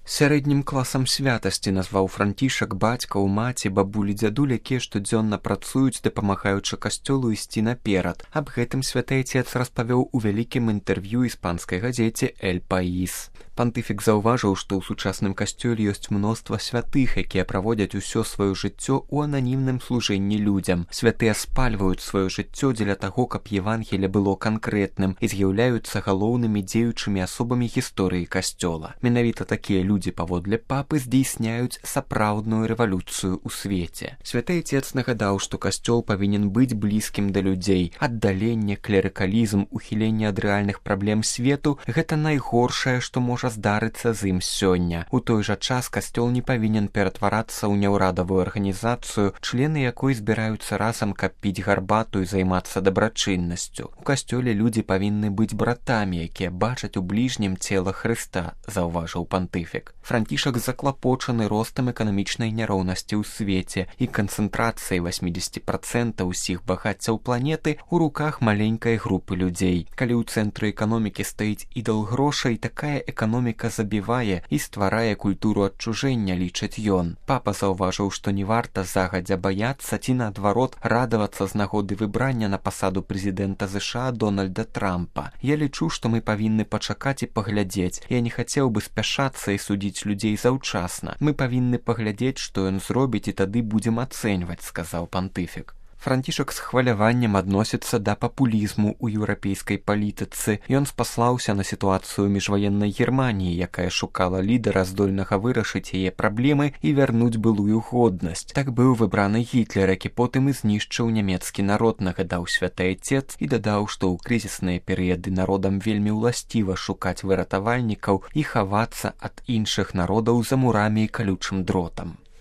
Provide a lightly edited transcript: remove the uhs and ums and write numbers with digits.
Сярэднім класам святасці назваў Францішак бацькаў, маці, бабулі, дзядуль, якія штодзённа працуюць, дапамагаючы касцёлу ісці наперад. Аб гэтым святы Айцец распавёў у вялікім інтэрв'ю іспанскай газеце «Эль Паís». Пантыфік заўважыў, што ў сучасным касцёле ёсць мноства святых, якія праводзяць усё сваё жыццё ў ананімным служэнні людзям. Святыя спальваюць сваё жыццё дзеля таго, каб Евангелле было канкрэтным і з'яўляюцца галоўнымі дзеючымі асобамі гісторыі касцёла. Менавіта такія людзі паводле папы здзейсняюць сапраўдную рэвалюцыю ў свеце. Святы Айцец нагадаў, што касцёл павінен быць блізкім да людзей. Аддаленне, клерыкалізм, ухіленне ад рэальных праблем свету – гэта найгоршае, што можа здарыцца з ім сёння. У той жа час касцёл не павінен ператварацца ў няўрадавую арганізацыю, члены якой збіраюцца разам, каб піць гарбату і займацца дабрачыннасцю. У касцёле людзі павінны быць братамі, якія бачаць у бліжнім цела Хрыста, заўважыў пантыфік. Францішак заклапочаны ростам эканамічнай няроўнасці ў свеце і канцэнтрацыяй 80% усіх багаццяў планеты ў руках маленькай групы людзей. Калі ў цэнтры эканомікі стаіць ідал грошай, такая эканоміка забівае і стварае культуру адчужэння, лічыць ён. Папа заўважыў, што не варта загадзя баяцца ці, наадварот, радавацца з нагоды выбрання на пасаду прэзідэнта ЗША Дональда Трампа. Я лічу, што мы павінны пачакаць і паглядзець. Я не хацеў бы спяшацца і судзіць людзей заўчасна. Мы павінны паглядзець, што ён зробіць, і тады будзем ацэньваць, сказаў пантыфік. Францішак з хваляваннем адносіцца да папулізму ў еўрапейскай палітыцы. Ён спаслаўся на сітуацыю міжваеннай Германіі, якая шукала лідара, здольнага вырашыць яе праблемы і вярнуць былую годнасць. Так быў выбраны Гітлер, які потым і знішчыў нямецкі народ, нагадаў святы Айцец і дадаў, што ў крызісныя перыяды народам вельмі ўласціва шукаць выратавальнікаў і хавацца ад іншых народаў за мурамі і калючым дротам.